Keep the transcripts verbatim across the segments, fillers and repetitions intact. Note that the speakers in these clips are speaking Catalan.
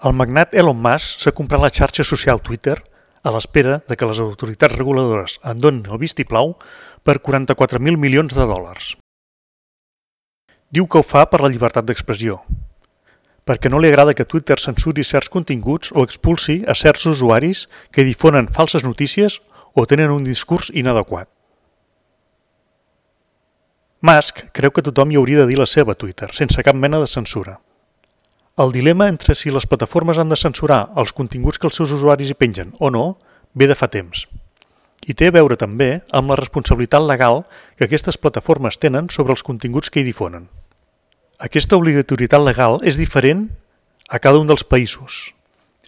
El magnat Elon Musk s'ha comprat la xarxa social Twitter a l'espera de que les autoritats reguladores en donin el vistiplau per quaranta-quatre mil milions de dòlars. Diu que ho fa per la llibertat d'expressió, perquè no li agrada que Twitter censuri certs continguts o expulsi a certs usuaris que difonen falses notícies o tenen un discurs inadequat. Musk creu que tothom hi hauria de dir la seva a Twitter, sense cap mena de censura. El dilema entre si les plataformes han de censurar els continguts que els seus usuaris hi pengen o no ve de fa temps. I té a veure també amb la responsabilitat legal que aquestes plataformes tenen sobre els continguts que hi difonen. Aquesta obligatorietat legal és diferent a cada un dels països,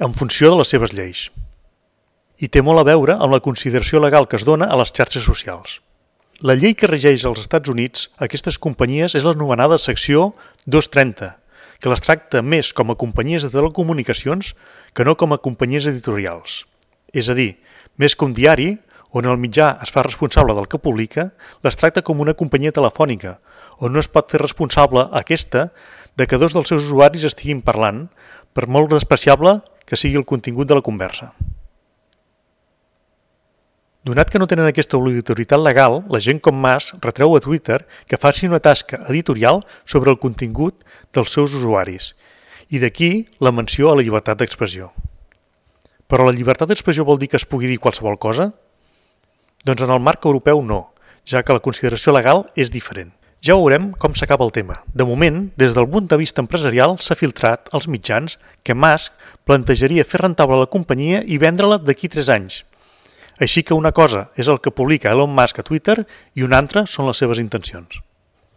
en funció de les seves lleis. I té molt a veure amb la consideració legal que es dona a les xarxes socials. La llei que regeix als Estats Units aquestes companyies és l'anomenada secció dos trenta, que les tracta més com a companyies de telecomunicacions que no com a companyies editorials. És a dir, més que un diari, on el mitjà es fa responsable del que publica, les tracta com una companyia telefònica, on no es pot fer responsable aquesta de que dos dels seus usuaris estiguin parlant, per molt despreciable que sigui el contingut de la conversa. Donat que no tenen aquesta obligatorietat legal, la gent com Musk retreu a Twitter que faci una tasca editorial sobre el contingut dels seus usuaris, i d'aquí la menció a la llibertat d'expressió. Però la llibertat d'expressió vol dir que es pugui dir qualsevol cosa? Doncs en el marc europeu no, ja que la consideració legal és diferent. Ja veurem com s'acaba el tema. De moment, des del punt de vista empresarial, s'ha filtrat als mitjans que Musk plantejaria fer rentable la companyia i vendre-la d'aquí tres anys. Així que una cosa és el que publica Elon Musk a Twitter i una altra són les seves intencions.